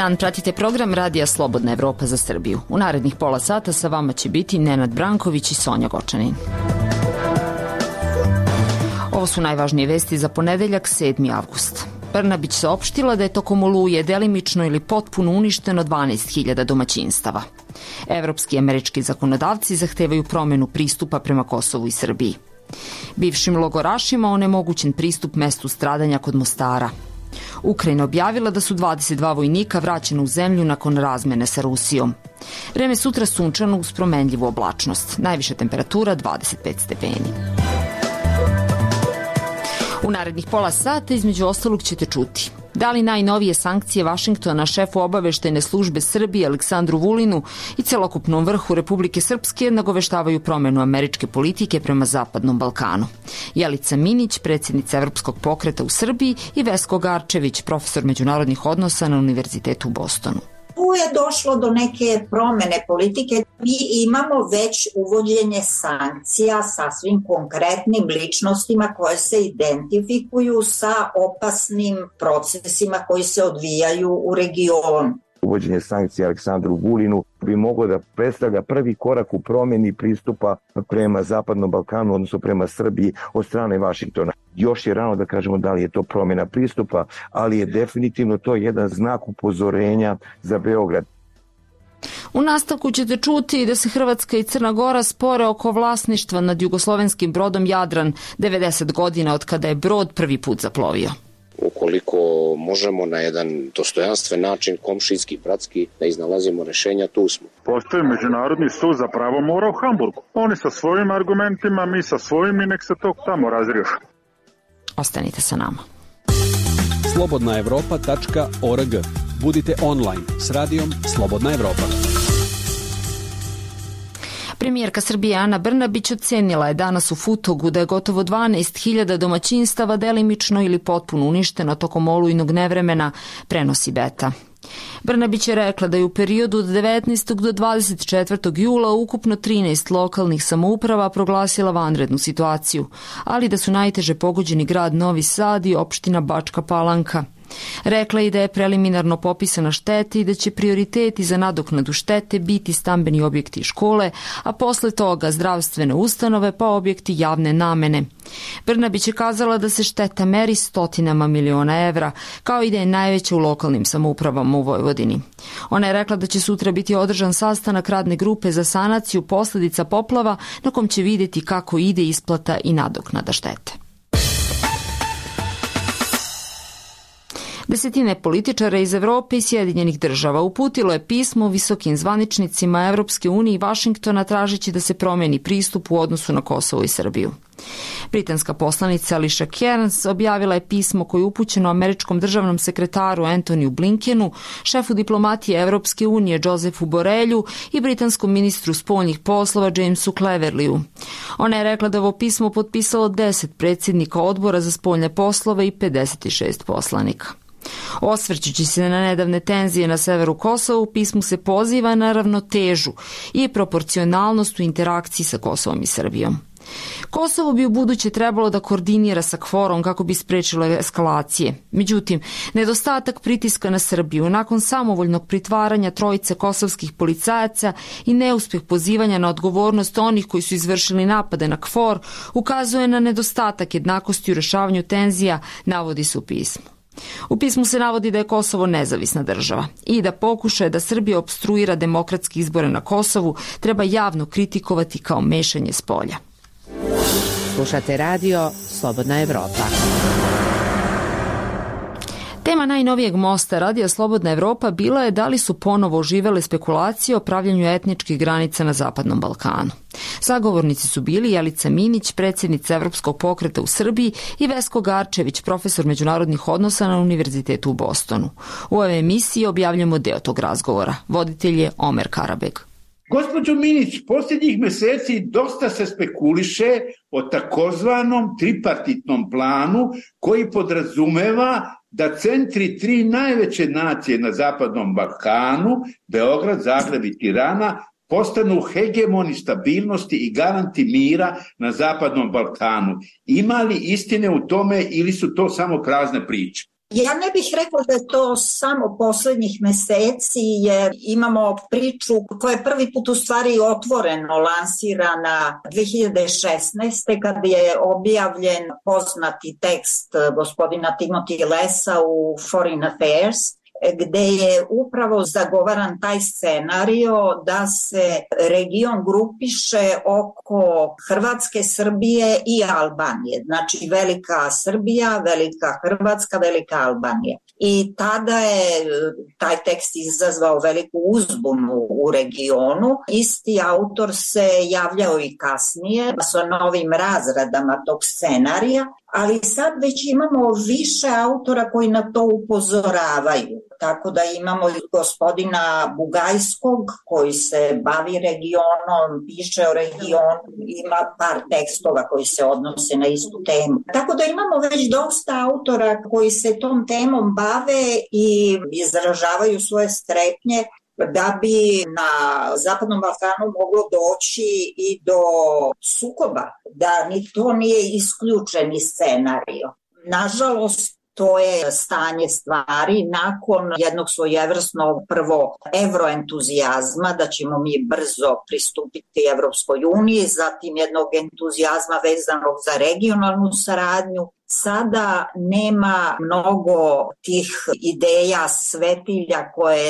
dan, pratite program Radija Slobodna Evropa za Srbiju. U narednih pola sata sa vama će biti Nenad Branković i Sonja Gočanin. Ovo su najvažnije vesti za ponedeljak 7. avgust. Brnabić saopštila da je tokom oluje delimično ili potpuno uništeno 12.000 domaćinstava. Evropski i američki zakonodavci zahtevaju promenu pristupa prema Kosovu i Srbiji. Bivšim logorašima onemogućen pristup mestu stradanja kod Mostara. Ukrajina objavila da su 22 vojnika vraćena u zemlju nakon razmene sa Rusijom. Vreme sutra sunčano uz promenljivu oblačnost. Najviša temperatura 25 stepeni. U narednih pola sata između ostalog ćete čuti da li najnovije sankcije Vašingtona šefu obaveštajne službe Srbije Aleksandru Vulinu i celokupnom vrhu Republike Srpske nagoveštavaju promenu američke politike prema Zapadnom Balkanu. Jelica Minić, predsjednica Evropskog pokreta u Srbiji, i Vesko Garčević, profesor međunarodnih odnosa na Univerzitetu u Bostonu. Tu je došlo do neke promene politike. Mi imamo već uvođenje sankcija sa svim konkretnim ličnostima koje se identifikuju sa opasnim procesima koji se odvijaju u regionu. Uvođenje sankcija Aleksandru Vulinu bi moglo da predstavlja prvi korak u promjeni pristupa prema Zapadnom Balkanu, odnosno prema Srbiji od strane Vašingtona. Još je rano da kažemo da li je to promjena pristupa, ali je definitivno to jedan znak upozorenja za Beograd. U nastavku ćete čuti da se Hrvatska i Crna Gora spore oko vlasništva nad jugoslovenskim brodom Jadran 90 godina od kada je brod prvi put zaplovio. Ukoliko možemo na jedan dostojanstven način, komšijski, bratski, da iznalazimo rešenja, tu smo. Postoji Međunarodni sud za pravo mora u Hamburgu. Oni sa svojim argumentima, mi sa svojim i nek se to tamo razriješi. Ostanite sa nama. slobodnaevropa.org. Budite online s radijom Slobodna Evropa. Premijerka Srbije Ana Brnabić ocenila je danas u Futogu da je gotovo 12.000 domaćinstava delimično ili potpuno uništeno tokom olujnog nevremena, prenosi Beta. Brnabić je rekla da je u periodu od 19. do 24. jula ukupno 13 lokalnih samouprava proglasila vanrednu situaciju, ali da su najteže pogođeni grad Novi Sad i opština Bačka Palanka. Rekla je da je preliminarno popisana šteta i da će prioriteti za nadoknadu štete biti stambeni objekti i škole, a posle toga zdravstvene ustanove pa objekti javne namene. Brnabić je kazala da se šteta meri stotinama miliona evra, kao i da je najveća u lokalnim samoupravama u Vojvodini. Ona je rekla da će sutra biti održan sastanak radne grupe za sanaciju posledica poplava, na kom će vidjeti kako ide isplata i nadoknada štete. Desetine političara iz Evrope i Sjedinjenih država uputilo je pismo visokim zvaničnicima Evropske unije i Vašingtona tražeći da se promeni pristup u odnosu na Kosovo i Srbiju. Britanska poslanica Alicia Cairns objavila je pismo koje je upućeno američkom državnom sekretaru Antoniju Blinkenu, šefu diplomatije Evropske unije Josefu Borelju i britanskom ministru spoljnih poslova Jamesu Cleverlyu. Ona je rekla da ovo pismo potpisalo 10 predsjednika odbora za spoljne poslove i 56 poslanika. Osvrćući se na nedavne tenzije na severu Kosova, u pismu se poziva na ravnotežu i proporcionalnost u interakciji sa Kosovom i Srbijom. Kosovo bi u buduće trebalo da koordinira sa KFOR-om kako bi sprečilo eskalacije. Međutim, nedostatak pritiska na Srbiju nakon samovoljnog pritvaranja trojice kosovskih policajaca i neuspjeh pozivanja na odgovornost onih koji su izvršili napade na KFOR ukazuje na nedostatak jednakosti u rešavanju tenzija, navodi se u pismu. U pismu se navodi da je Kosovo nezavisna država i da pokušaje da Srbija opstruira demokratske izbore na Kosovu treba javno kritikovati kao mešanje s polja. Slušate radio Slobodna Evropa. Tema najnovijeg mosta Radija Slobodna Evropa bila je da li su ponovo oživele spekulacije o pravljenju etničkih granica na Zapadnom Balkanu. Sagovornici su bili Jelica Minić, predsjednica Evropskog pokreta u Srbiji, i Vesko Garčević, profesor međunarodnih odnosa na Univerzitetu u Bostonu. U ovoj emisiji objavljamo deo tog razgovora. Voditelj je Omer Karabeg. Gospođo Minić, posljednjih meseci dosta se spekuliše o takozvanom tripartitnom planu koji podrazumeva da centri tri najveće nacije na Zapadnom Balkanu, Beograd, Zagreb i Tirana, postanu hegemoni stabilnosti i garanti mira na Zapadnom Balkanu. Ima li istine u tome ili su to samo prazne priče? Ja ne bih rekla da je to samo poslednjih meseci, jer imamo priču koja je prvi put u stvari otvoreno lansirana 2016. kada je objavljen poznati tekst gospodina Timothy Lessa u Foreign Affairs, gde je upravo zagovaran taj scenario da se region grupiše oko Hrvatske, Srbije i Albanije. Znači Velika Srbija, Velika Hrvatska, Velika Albanija. I tada je taj tekst izazvao veliku uzbunu u regionu. Isti autor se javljao i kasnije sa novim razradama tog scenarija, ali sad već imamo više autora koji na to upozoravaju. Tako da imamo gospodina Bugajskog koji se bavi regionom, piše o regionu, ima par tekstova koji se odnose na istu temu. Tako da imamo već dosta autora koji se tom temom bave i izražavaju svoje strepnje da bi na Zapadnom Balkanu moglo doći i do sukoba, da ni to nije isključeni scenario. Nažalost, to je stanje stvari nakon jednog svojevrsnog prvo evroentuzijazma, da ćemo mi brzo pristupiti Evropskoj uniji, zatim jednog entuzijazma vezanog za regionalnu saradnju. Sada nema mnogo tih ideja, svetilja koje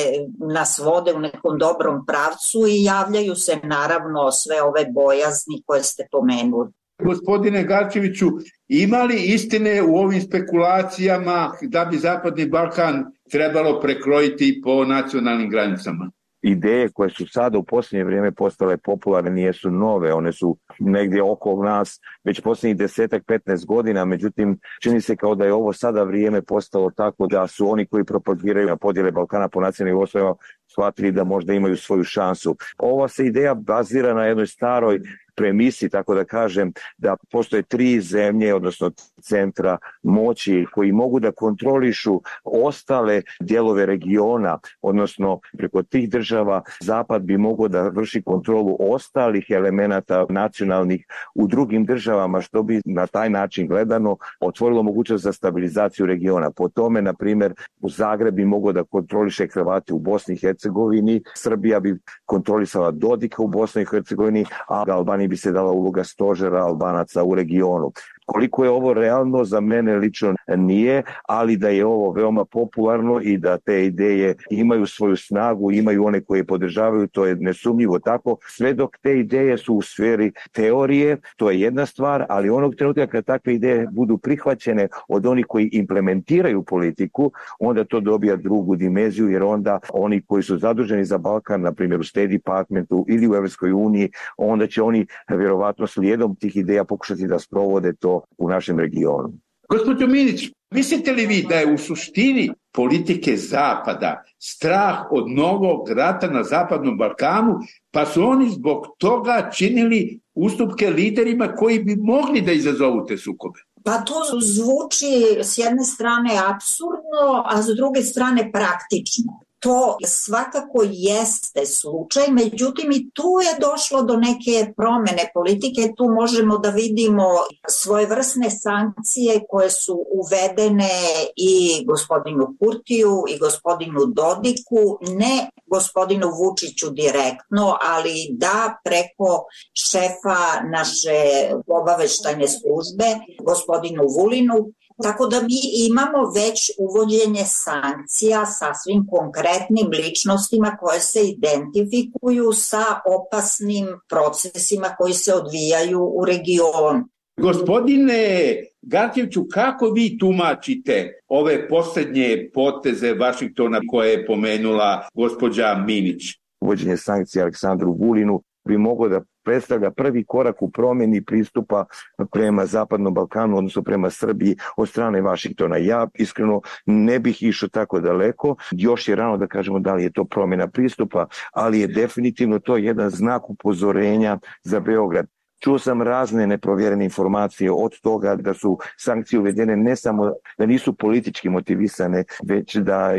nas vode u nekom dobrom pravcu i javljaju se naravno sve ove bojazni koje ste pomenuli. Gospodine Garčeviću, ima li istine u ovim spekulacijama da bi Zapadni Balkan trebalo prekrojiti po nacionalnim granicama? Ideje koje su sada u posljednje vrijeme postale popularne nijesu nove, one su negdje oko nas već posljednjih 10-15 godina, međutim čini se kao da je ovo sada vrijeme postalo tako da su oni koji propagiraju na podjele Balkana po nacionalnim osnovama shvatili da možda imaju svoju šansu. Ova se ideja bazira na jednoj staroj premisi, tako da kažem, da postoje 3 zemlje, odnosno centra moći koji mogu da kontrolišu ostale dijelove regiona, odnosno preko tih država Zapad bi mogao da vrši kontrolu ostalih elemenata nacionalnih u drugim državama, što bi na taj način gledano otvorilo mogućnost za stabilizaciju regiona. Po tome, na primjer, u Zagreb bi mogao da kontroliše Hrvati u Bosni i Hercegovini, Srbija bi kontrolisala Dodika u Bosni i Hercegovini, a Albaniji bi se dala uloga stožera Albanaca u regionu. Koliko je ovo realno, za mene lično nije, ali da je ovo veoma popularno i da te ideje imaju svoju snagu, imaju one koje podržavaju, to je nesumnjivo tako. Sve dok te ideje su u sferi teorije, to je jedna stvar, ali onog trenutka kad takve ideje budu prihvaćene od onih koji implementiraju politiku, onda to dobija drugu dimenziju, jer onda oni koji su zaduženi za Balkan, na primjer u State Departmentu ili u Evropskoj uniji, onda će oni vjerovatno slijedom tih ideja pokušati da sprovode to u našem regionu. Gospođo Minić, mislite li vi da je u suštini politike Zapada strah od novog rata na Zapadnom Balkanu, pa su oni zbog toga činili ustupke liderima koji bi mogli da izazovu te sukobe? Pa to zvuči s jedne strane apsurdno, a s druge strane praktično. To svakako jeste slučaj, međutim i tu je došlo do neke promene politike. Tu možemo da vidimo svojevrsne sankcije koje su uvedene i gospodinu Kurtiju i gospodinu Dodiku, ne gospodinu Vučiću direktno, ali da preko šefa naše obaveštajne službe, gospodinu Vulinu. Tako da mi imamo već uvođenje sankcija sasvim konkretnim ličnostima koje se identifikuju sa opasnim procesima koji se odvijaju u regionu. Gospodine Garčeviću, kako vi tumačite ove posljednje poteze Vašingtona koje je pomenula gospođa Minić? Uvođenje sankcija Aleksandru Vulinu bi moglo da predstavlja prvi korak u promjeni pristupa prema Zapadnom Balkanu, odnosno prema Srbiji od strane Vašingtona. Ja iskreno ne bih išao tako daleko, još je rano da kažemo da li je to promjena pristupa, ali je definitivno to jedan znak upozorenja za Beograd. Čuo sam razne neprovjerene informacije od toga da su sankcije uvedene ne samo da nisu politički motivisane, već da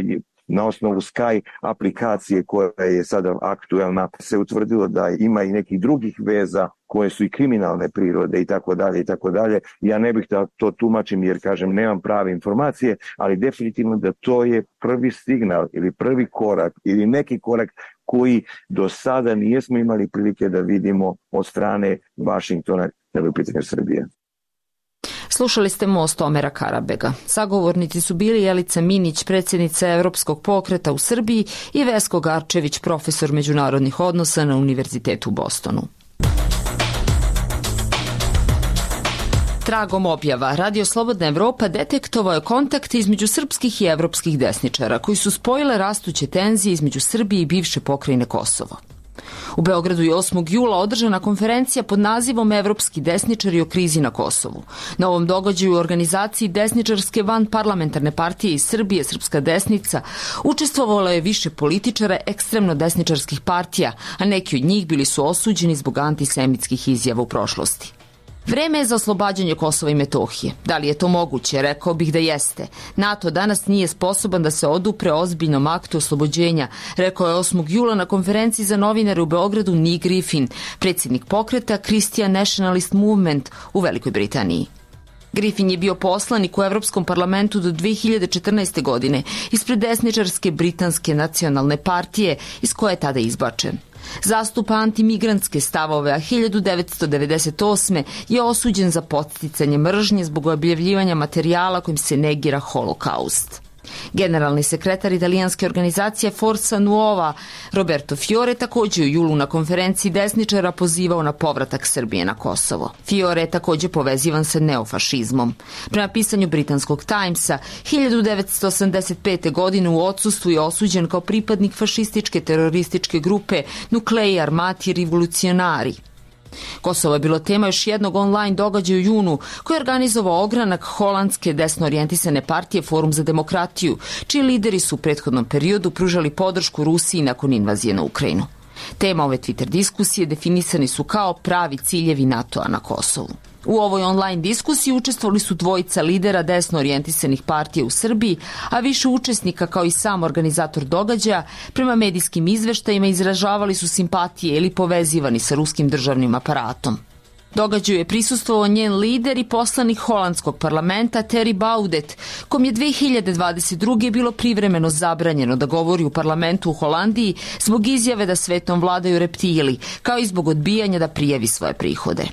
na osnovu Sky aplikacije koja je sada aktuelna se utvrdilo da ima i nekih drugih veza koje su i kriminalne prirode i tako dalje i tako dalje. Ja ne bih da to tumačim jer, kažem, nemam prave informacije, ali definitivno da to je prvi signal ili prvi korak ili neki korak koji do sada nijesmo imali prilike da vidimo od strane Vašingtona ili pitanja Srbije. Slušali ste Most Omera Karabega. Sagovornici su bili Jelica Minić, predsjednica Evropskog pokreta u Srbiji, i Vesko Garčević, profesor međunarodnih odnosa na Univerzitetu u Bostonu. Tragom objava, Radio Slobodna Evropa detektovao je kontakt između srpskih i evropskih desničara, koji su spojile rastuće tenzije između Srbije i bivše pokrajine Kosovo. U Beogradu je 8. jula održana konferencija pod nazivom Evropski desničari o krizi na Kosovu. Na ovom događaju u organizaciji desničarske vanparlamentarne partije iz Srbije, Srpska desnica, učestvovalo je više političara ekstremno desničarskih partija, a neki od njih bili su osuđeni zbog antisemitskih izjava u prošlosti. Vreme je za oslobađanje Kosova i Metohije. Da li je to moguće? Rekao bih da jeste. NATO danas nije sposoban da se odupre ozbiljnom aktu oslobođenja, rekao je 8. jula na konferenciji za novinare u Beogradu Nick Griffin, predsjednik pokreta Christian Nationalist Movement u Velikoj Britaniji. Griffin je bio poslanik u Evropskom parlamentu do 2014. godine ispred desničarske britanske nacionalne partije iz koje je tada izbačen. Zastupa antimigrantske stavove, a 1998. je osuđen za podsticanje mržnje zbog objavljivanja materijala kojim se negira holokaust. Generalni sekretar italijanske organizacije Forza Nuova Roberto Fiore također u julu na konferenciji desničara pozivao na povratak Srbije na Kosovo. Fiore je također povezivan sa neofašizmom. Prema pisanju britanskog Timesa, 1985. godine u odsustvu je osuđen kao pripadnik fašističke terorističke grupe Nuclei Armati Rivolucionari. Kosovo je bilo tema još jednog online događaja u junu koji je organizovao ogranak holandske desno orijentisane partije Forum za demokratiju, čiji lideri su u prethodnom periodu pružali podršku Rusiji nakon invazije na Ukrajinu. Tema ove Twitter diskusije definisani su kao pravi ciljevi NATO-a na Kosovu. U ovoj online diskusiji učestvovali su dvojica lidera desno orijentisanih partija u Srbiji, a više učesnika kao i sam organizator događaja prema medijskim izveštajima izražavali su simpatije ili povezivani sa ruskim državnim aparatom. Događaju je prisustvovao njen lider i poslanik holandskog parlamenta Thierry Baudet, kom je 2022. bilo privremeno zabranjeno da govori u parlamentu u Holandiji zbog izjave da svetom vladaju reptili, kao i zbog odbijanja da prijavi svoje prihode.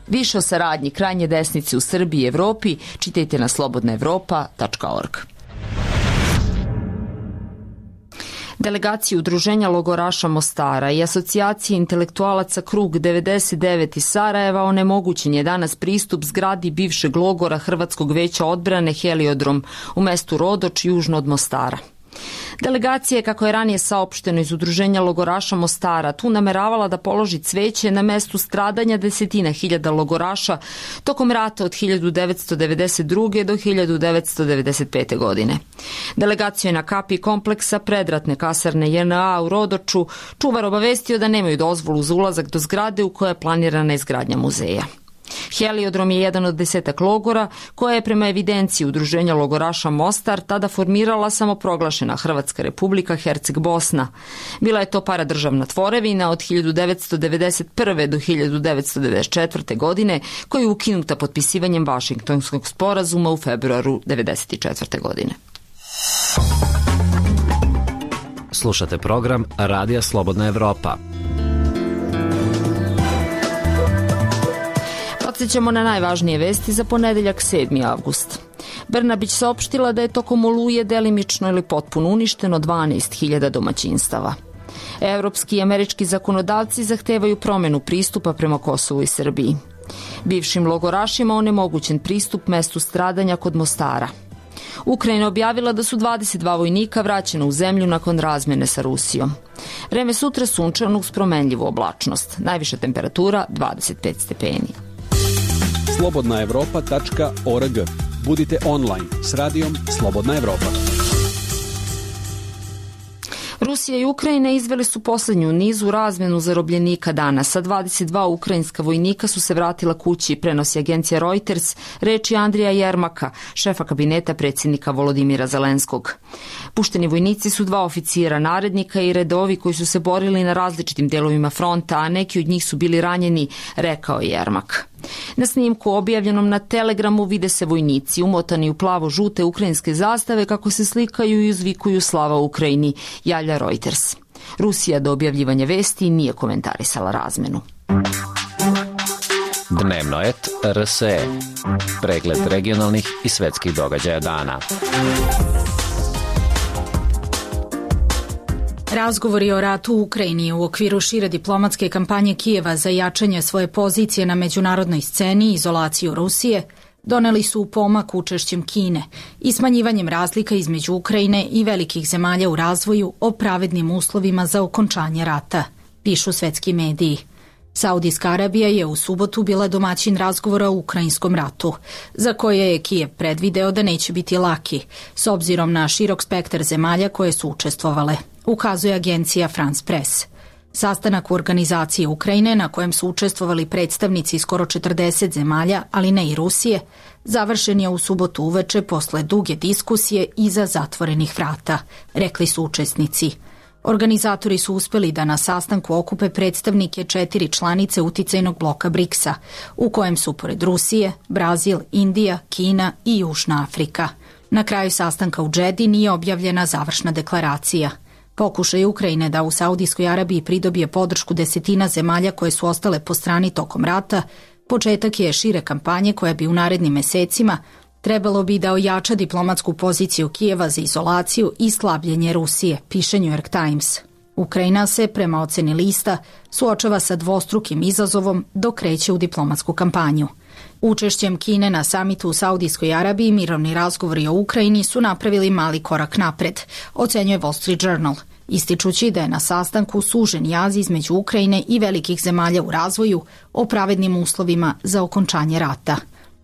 Više o saradnji krajnje desnice u Srbiji i Evropi čitajte na slobodnaevropa.org. Delegacije Udruženja logoraša Mostara i asocijacije intelektualaca Krug 99 iz Sarajeva onemogućen je danas pristup zgradi bivšeg logora Hrvatskog veća odbrane Heliodrom u mestu Rodoč južno od Mostara. Delegacija je, kako je ranije saopšteno iz Udruženja logoraša Mostara, tu nameravala da položi cveće na mestu stradanja desetina hiljada logoraša tokom rata od 1992. do 1995. godine. Delegacija je na kapiji kompleksa predratne kasarne JNA u Rodoču čuvar obavestio da nemaju dozvolu za ulazak do zgrade u kojoj je planirana izgradnja muzeja. Heliodrom je jedan od 10 logora koja je prema evidenciji Udruženja logoraša Mostar tada formirala samoproglašena Hrvatska republika Herceg Bosna. Bila je to paradržavna tvorevina od 1991. do 1994. godine koja je ukinuta potpisivanjem Vašingtonskog sporazuma u februaru 1994. godine. Slušate program Radija Slobodna Evropa. Podsjećamo na najvažnije vesti za ponedeljak 7. avgust. Brnabić saopštila da je tokom oluje delimično ili potpuno uništeno 12.000 domaćinstava. Evropski i američki zakonodavci zahtevaju promjenu pristupa prema Kosovu i Srbiji. Bivšim logorašima onemogućen pristup mestu stradanja kod Mostara. Ukrajina objavila da su 22 vojnika vraćena u zemlju nakon razmjene sa Rusijom. Vreme sutra sunčano uz promenljivu oblačnost. Najviša temperatura 25 stepeni. slobodnaevropa.org. Budite online s radijom Slobodna Evropa. Rusija i Ukrajina izveli su poslednju nizu razmenu zarobljenika danas. 22 ukrajinska vojnika su se vratila kući, prenosi agencija Reuters, reči Andrija Jermaka, šefa kabineta predsjednika Volodimira Zelenskog. Pušteni vojnici su 2 oficijera narednika i redovi koji su se borili na različitim delovima fronta, a neki od njih su bili ranjeni, rekao je Jermak. Na snimku objavljenom na Telegramu vide se vojnici umotani u plavo-žute ukrajinske zastave kako se slikaju i uzvikuju slava Ukrajini, javlja Reuters. Rusija do objavljivanja vesti nije komentarisala razmenu. Dnevnoet RSE. Pregled regionalnih i svetskih događaja dana. Razgovori o ratu u Ukrajini u okviru šire diplomatske kampanje Kijeva za jačanje svoje pozicije na međunarodnoj sceni i izolaciju Rusije doneli su pomak učešćem Kine i smanjivanjem razlika između Ukrajine i velikih zemalja u razvoju o pravednim uslovima za okončanje rata, pišu svetski mediji. Saudijska Arabija je u subotu bila domaćin razgovora o ukrajinskom ratu, za koje je Kijev predvideo da neće biti laki, s obzirom na širok spektar zemalja koje su učestvovale, ukazuje agencija France Press. Sastanak u organizaciji Ukrajine, na kojem su učestvovali predstavnici skoro 40 zemalja, ali ne i Rusije, završen je u subotu uveče posle duge diskusije iza zatvorenih vrata, rekli su učesnici. Organizatori su uspeli da na sastanku okupe predstavnike 4 članice uticajnog bloka BRICS-a, u kojem su pored Rusije, Brazil, Indija, Kina i Južna Afrika. Na kraju sastanka u Džedi nije objavljena završna deklaracija. Pokušaj Ukrajine da u Saudijskoj Arabiji pridobije podršku desetina zemalja koje su ostale po strani tokom rata, početak je šire kampanje koja bi u narednim mesecima trebalo bi da ojača diplomatsku poziciju Kijeva za izolaciju i slabljenje Rusije, piše New York Times. Ukrajina se, prema oceni lista, suočava sa dvostrukim izazovom dok kreće u diplomatsku kampanju. Učešćem Kine na samitu u Saudijskoj Arabiji mirovni razgovori o Ukrajini su napravili mali korak napred, ocenjuje Wall Street Journal, ističući da je na sastanku sužen jaz između Ukrajine i velikih zemalja u razvoju o pravednim uslovima za okončanje rata.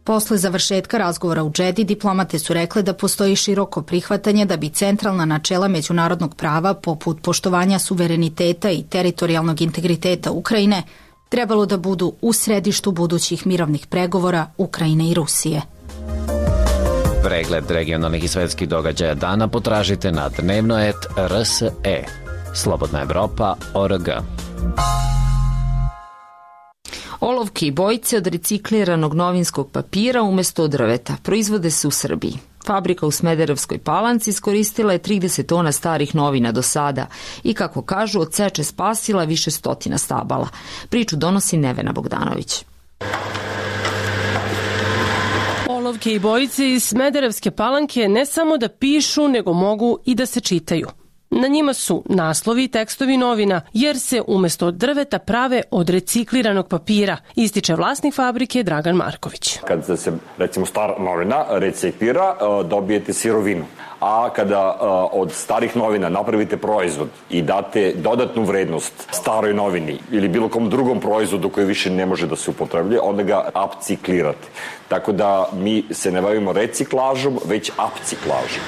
Posle završetka razgovora u Džedi, diplomate su rekle da postoji široko prihvatanje da bi centralna načela međunarodnog prava, poput poštovanja suvereniteta i teritorijalnog integriteta Ukrajine, trebalo da budu u središtu budućih mirovnih pregovora Ukrajine i Rusije. Pregled regionalnih i svetskih događaja dana potražite na Dnevnoet RSE. Slobodna Evropa.org. Olovke i bojice od recikliranog novinskog papira umesto od drveta proizvode se u Srbiji. Fabrika u Smederevskoj Palanci iskoristila je 30 tona starih novina do sada i, kako kažu, od seče spasila više stotina stabala. Priču donosi Nevena Bogdanović. Olovke i bojice iz Smederevske Palanke ne samo da pišu, nego mogu i da se čitaju. Na njima su naslovi i tekstovi novina, jer se umesto od drveta prave od recikliranog papira, ističe vlasnik fabrike Dragan Marković. Kad se, recimo, stara novina reciklira, dobijete sirovinu. A kada od starih novina napravite proizvod i date dodatnu vrednost staroj novini ili bilo kom drugom proizvodu koji više ne može da se upotrebljuje, onda ga upciklirate. Tako da mi se ne bavimo reciklažom, već upciklažom.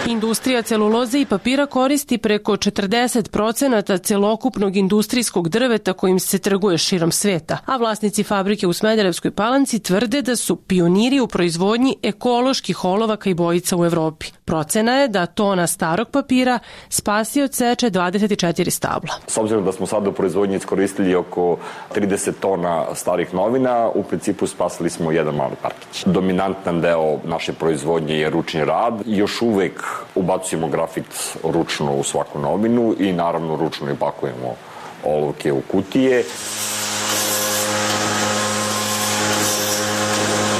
Industrija celuloze i papira koristi preko 40% celokupnog industrijskog drveta kojim se trguje širom sveta, a vlasnici fabrike u Smederevskoj Palanci tvrde da su pioniri u proizvodnji ekoloških olovaka i bojica u Evropi. Procena je da tona starog papira spasi od seče 24 stabla. S obzirom da smo sada u proizvodnji iskoristili oko 30 tona starih novina, u principu spasili smo jedan mali parkić. Dominantan deo naše proizvodnje je ručni rad. Još uvek ubacujemo grafit ručno u svaku novinu i naravno ručno i pakujemo olovke u kutije.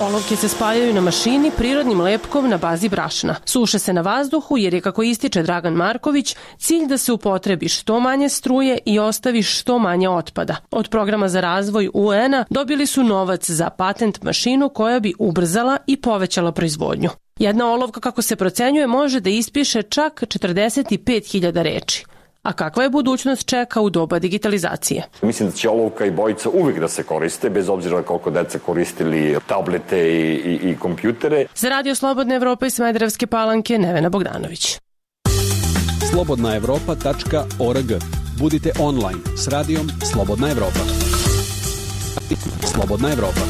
Olovke se spajaju na mašini prirodnim lepkom na bazi brašna. Suše se na vazduhu jer je, kako ističe Dragan Marković, cilj da se upotrebi što manje struje i ostavi što manje otpada. Od programa za razvoj UN-a dobili su novac za patent mašinu koja bi ubrzala i povećala proizvodnju. Jedna olovka, kako se procenjuje, može da ispiše čak 45.000 reči. A kakva je budućnost čeka u doba digitalizacije? Mislim da će olovka i bojica uvijek da se koriste, bez obzira koliko deca koristili tablete i kompjutere. Za Radio Slobodna Evropa i Smederevske Palanke, Nevena Bogdanović. slobodnaevropa.org. Budite online s radijom Slobodna Evropa. Slobodna Evropa.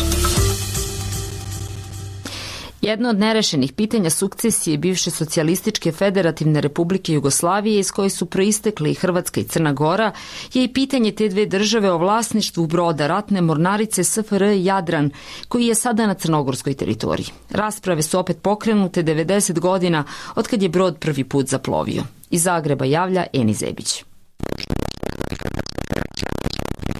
Jedno od nerešenih pitanja sukcesije bivše socijalističke federativne republike Jugoslavije iz koje su proistekli i Hrvatska i Crna Gora je i pitanje te dve države o vlasništvu broda ratne mornarice SFRJ Jadran koji je sada na crnogorskoj teritoriji. Rasprave su opet pokrenute 90 godina od kad je brod prvi put zaplovio. Iz Zagreba javlja Eni Zebić.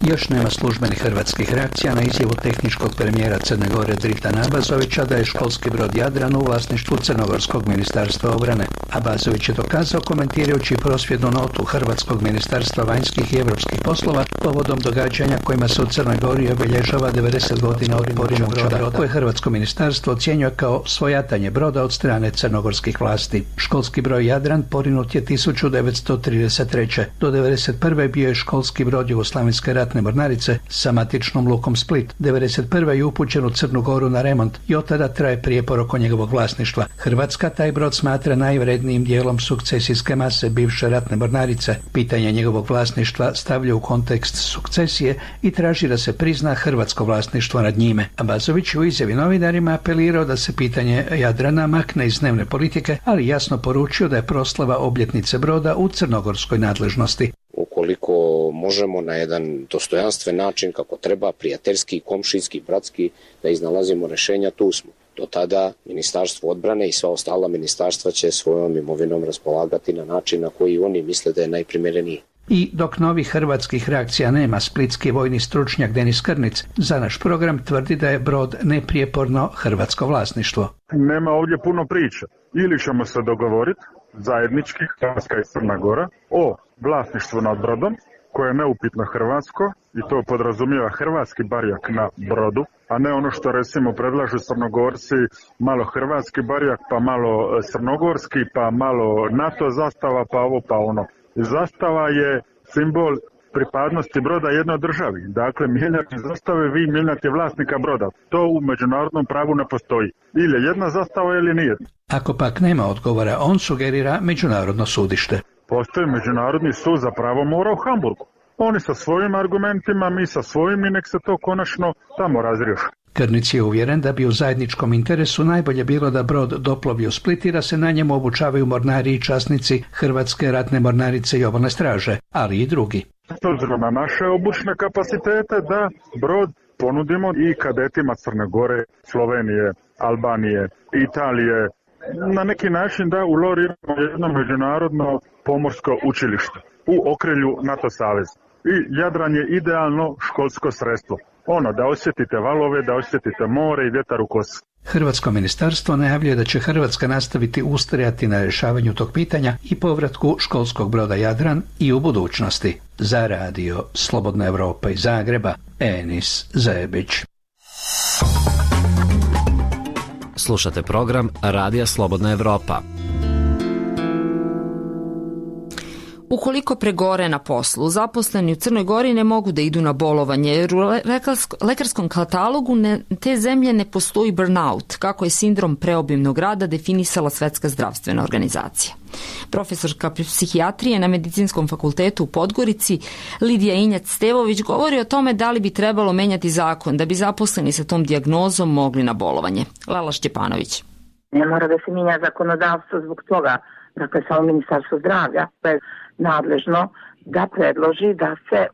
Još nema službenih hrvatskih reakcija na izjavu tehničkog premijera Crne Gore Dritana Abazovića da je školski brod Jadran u vlasništvu Crnogorskog ministarstva obrane. Abazović je dokazao komentirajući prosvjednu notu Hrvatskog ministarstva vanjskih i evropskih poslova povodom događanja kojima se u Crnoj Gori obilježava 90 godina od porinutja broda koje Hrvatsko ministarstvo ocjenjuje kao svojatanje broda od strane crnogorskih vlasti. Školski broj Jadran porinut je 1933. Do 1991. bio je školski brod Jugoslavenske ratne mornarice sa matičnom lukom Split. 1991. je upućen u Crnu Goru na remont i od tada traje prijepor oko njegovog vlasništva. Hrvatska taj brod smatra najvrednijim dijelom sukcesijske mase bivše ratne mornarice. Pitanje njegovog vlasništva stavlja u kontekst sukcesije i traži da se prizna hrvatsko vlasništvo nad njime. Abazović u izjavi novinarima apelirao da se pitanje Jadrana makne iz dnevne politike, ali jasno poručio da je proslava obljetnice broda u crnogorskoj nadležnosti. Ukoliko možemo na jedan dostojanstven način, kako treba, prijateljski, komšijski, bratski, da iznalazimo rešenja, tu smo. Do tada Ministarstvo odbrane i sva ostala ministarstva će svojom imovinom raspolagati na način na koji oni misle da je najprimereniji. I dok novih hrvatskih reakcija nema, splitski vojni stručnjak Denis Krnic za naš program tvrdi da je brod neprijeporno hrvatsko vlasništvo. Nema ovdje puno priča. Ili ćemo se dogovoriti zajednički, Hrvatska i Crna Gora, o vlasništvu nad brodom, koje je neupitno hrvatsko i to podrazumijeva hrvatski barjak na brodu, a ne ono što recimo predlažu Crnogorci, malo hrvatski barjak, pa malo crnogorski, pa malo NATO zastava, pa ovo, pa ono. Zastava je simbol pripadnosti broda jednoj državi. Dakle, mijenjati zastave, vi mijenjate vlasnika broda. To u međunarodnom pravu ne postoji. Ili je jedna zastava ili nije. Ako pak nema odgovora, on sugerira međunarodno sudište. Postoji Međunarodni sud za pravo mora u Hamburgu. Oni sa svojim argumentima, mi sa svojim i nek se to konačno tamo razriješi. Krnic je uvjeren da bi u zajedničkom interesu najbolje bilo da brod doplovi u Split i da se na njemu obučavaju mornari i časnici Hrvatske ratne mornarice i obalne straže, ali i drugi. S obzirom na naše obučne kapacitete da brod ponudimo i kadetima Crne Gore, Slovenije, Albanije, Italije, na neki način da uloriramo jedno međunarodno pomorsko učilište u okrilju NATO saveza. I Jadran je idealno školsko sredstvo. Ono, da osjetite valove, da osjetite more i vjetar u kosi. Hrvatsko ministarstvo najavljuje da će Hrvatska nastaviti ustrajati na rješavanju tog pitanja i povratku školskog broda Jadran i u budućnosti. Za radio Slobodna Evropa iz Zagreba, Enis Zebić. Slušate program Radija Slobodna Evropa. Ukoliko pregore na poslu, zaposleni u Crnoj Gori ne mogu da idu na bolovanje, jer u lekarskom katalogu te zemlje ne postoji burnout, kako je sindrom preobimnog rada definisala Svetska zdravstvena organizacija. Profesorka psihijatrije na Medicinskom fakultetu u Podgorici, Lidija Injac-Stevović, govori o tome da li bi trebalo menjati zakon da bi zaposleni sa tom dijagnozom mogli na bolovanje. Lala Šćepanović. Ne mora da se mijenja zakonodavstvo zbog toga, dakle samo Ministarstvo zdravlja je nadležno da predloži da se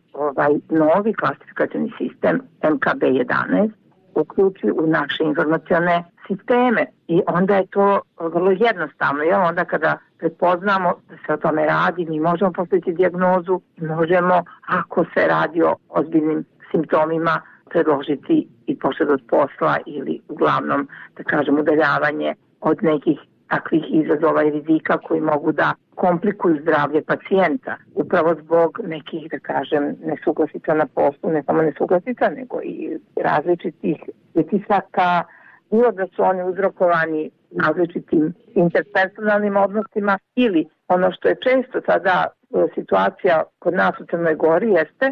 novi klasifikacioni sistem MKB-11 uključi u naše informacione sisteme i onda je to vrlo jednostavno. Onda kada prepoznamo da se o tome radi, mi možemo postaviti dijagnozu i možemo, ako se radi o ozbiljnim simptomima, predložiti i poštedu od posla ili uglavnom, da kažem, udaljavanje od nekih takvih izazova i rizika koji mogu da komplikuju zdravlje pacijenta upravo zbog nekih, da kažem, nesuglasica na poslu, ne samo nesuglasica, nego i različitih pritisaka, bilo da su oni uzrokovani različitim interpersonalnim odnosima ili ono što je često sada situacija kod nas u Crnoj Gori jeste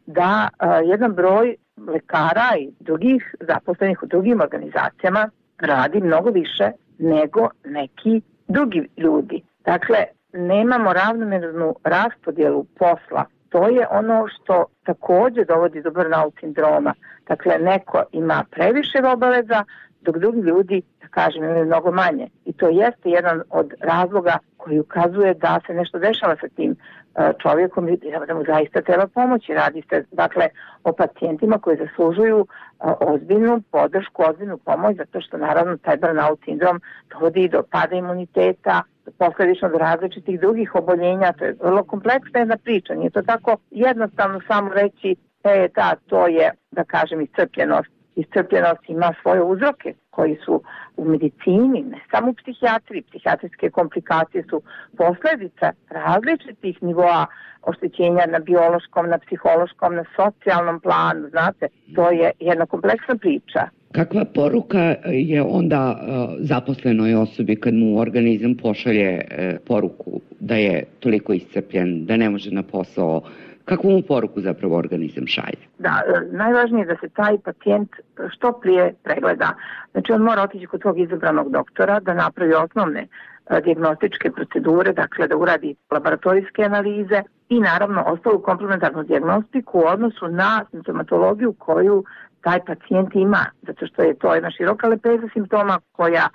da jedan broj lekara i drugih zaposlenih u drugim organizacijama radi mnogo više nego neki drugi ljudi. Dakle, nemamo ravnomernu raspodjelu posla. To je ono što takođe dovodi do burnout sindroma. Dakle, neko ima previše obaveza, dok drugi ljudi, da kažem, imaju mnogo manje. I to jeste jedan od razloga koji ukazuje da se nešto dešava sa tim čovjekom i da mu zaista treba pomoći. Radi se, dakle, o pacijentima koji zaslužuju ozbiljnu podršku, ozbiljnu pomoć, zato što naravno taj burnout sindrom dovodi do pada imuniteta, posledično do različitih drugih oboljenja. To je vrlo kompleksna jedna priča. Nije to tako jednostavno samo reći to je, da kažem, iscrpljenost. Iscrpljenost ima svoje uzroke koji su u medicini, ne samo u psihijatriji. Psihijatrijske komplikacije su posljedica različitih nivoa oštećenja na biološkom, na psihološkom, na socijalnom planu. Znate, to je jedna kompleksna priča. Kakva poruka je onda zaposlenoj osobi kad mu organizam pošalje poruku da je toliko iscrpljen, da ne može na posao? Kakvu mu poruku zapravo organizam šalje? Da, najvažnije je da se taj pacijent što prije pregleda. Znači, on mora otići kod svog izabranog doktora da napravi osnovne dijagnostičke procedure, dakle da uradi laboratorijske analize i naravno ostalu komplementarnu dijagnostiku u odnosu na simptomatologiju koju taj pacijent ima, zato što je to jedna široka lepeza simptoma koja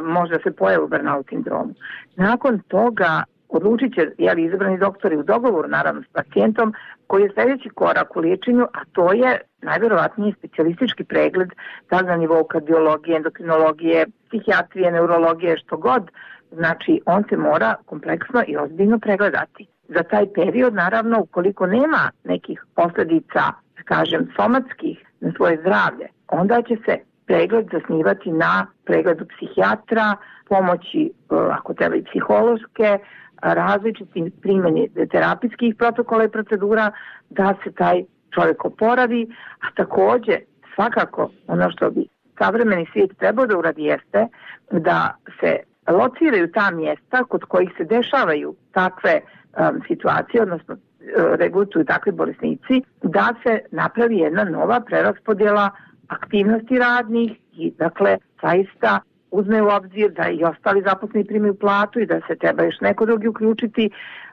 može se pojavi u burnout sindromu. Nakon toga odlučit će izabrani doktori u dogovoru naravno s pacijentom koji je sljedeći korak u liječenju, a to je najvjerovatnije specijalistički pregled, da li na nivou kardiologije, endokrinologije, psihijatrije, neurologije, što god. Znači, on se mora kompleksno i ozbiljno pregledati. Za taj period, naravno, ukoliko nema nekih posljedica, da kažem, somatskih na svoje zdravlje, onda će se pregled zasnivati na pregledu psihijatra, pomoći, ako treba i psihološke, različitim primjeni terapijskih protokola i procedura da se taj čovjek oporavi, a također svakako ono što bi savremeni svijet trebao da uradi jeste da se lociraju ta mjesta kod kojih se dešavaju takve situacije, odnosno regrutuju takvi bolesnici, da se napravi jedna nova preraspodjela aktivnosti radnih i dakle zaista uzme u obzir da i ostali zaposleni primaju platu i da se treba još neko drugi uključiti,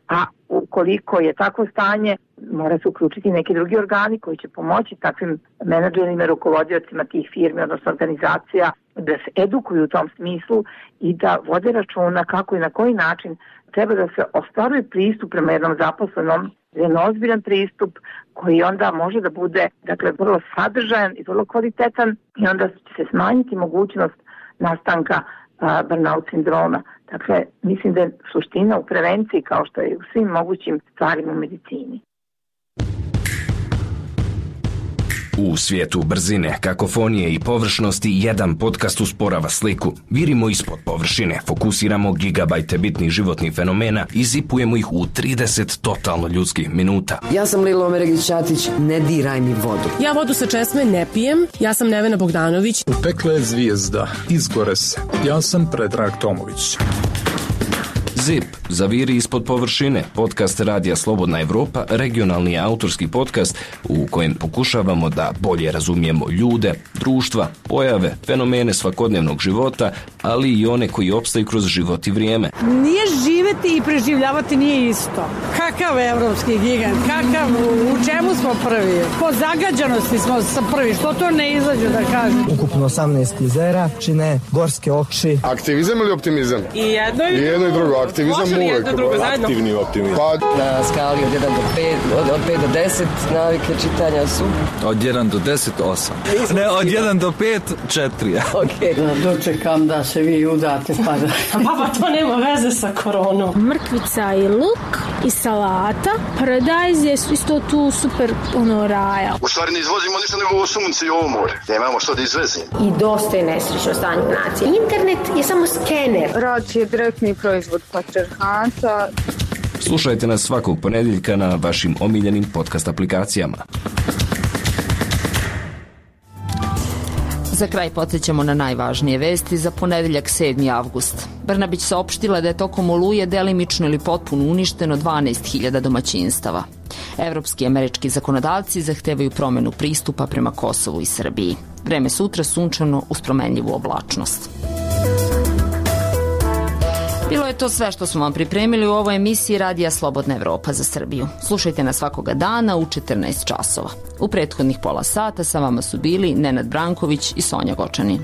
a ukoliko je takvo stanje, mora se uključiti neki drugi organi koji će pomoći takvim menadžerima i rukovodiocima tih firmi, odnosno organizacija, da se edukuju u tom smislu i da vode računa kako i na koji način treba da se ostvaruje pristup prema jednom zaposlenom, jedan ozbiljan pristup koji onda može da bude, dakle, vrlo sadržajan i vrlo kvalitetan i onda će se smanjiti mogućnost nastanka burnout sindroma. Dakle, mislim da je suština u prevenciji kao što je u svim mogućim stvarima u medicini. U svijetu brzine, kakofonije i površnosti jedan podcast usporava sliku. Virimo ispod površine, fokusiramo gigabajte bitnih životnih fenomena i zipujemo ih u 30 totalno ljudskih minuta. Ja sam Lilo Omeregić-Ćatić, ne diraj mi vodu. Ja vodu sa česme ne pijem, ja sam Nevena Bogdanović. Upekla je zvijezda, izgore se. Ja sam Predrag Tomović. ZIP, zaviri ispod površine, podcast Radija Slobodna Evropa, regionalni autorski podcast u kojem pokušavamo da bolje razumijemo ljude, društva, pojave, fenomene svakodnevnog života, ali i one koji opstaju kroz život i vrijeme. Nije živeti i preživljavati nije isto. Kakav evropski gigant, kakav, u čemu smo prvi? Po zagađanosti smo prvi, što to ne izađe da kažem? Ukupno 18 klizera, čine gorske oči. Aktivizam ili optimizam? I jedno i drugo. Aktivizam uvek. Aktivni optimizam. Na skali od 1 do 5, od 5 do 10 navike čitanja su? Od 1 do 10, 8. Ne, od 1 do 5, 4. Ok. Dočekam da se vi udate pa da... Baba, to nema veze sa koronom. Mrkvica i luk i salata. Paradajz je isto tu super raja. U stvari ne izvozimo ništa nego ovo sunce i ovo more. Nemamo što da izvezimo. I dosta je nesrećno stanje u naciji. Internet je samo skener. Rad je direktni proizvod patrijarhata. Slušajte nas svakog ponedjeljka na vašim omiljenim podcast aplikacijama. Za kraj podsjećamo na najvažnije vesti za ponedeljak 7. avgust. Brnabić saopštila da je tokom oluje delimično ili potpuno uništeno 12.000 domaćinstava. Evropski i američki zakonodavci zahtevaju promjenu pristupa prema Kosovu i Srbiji. Vreme sutra sunčano uz promenljivu oblačnost. Bilo je to sve što smo vam pripremili u ovoj emisiji Radija Slobodna Evropa za Srbiju. Slušajte nas svakoga dana u 14 časova. U prethodnih pola sata sa vama su bili Nenad Branković i Sonja Gočanin.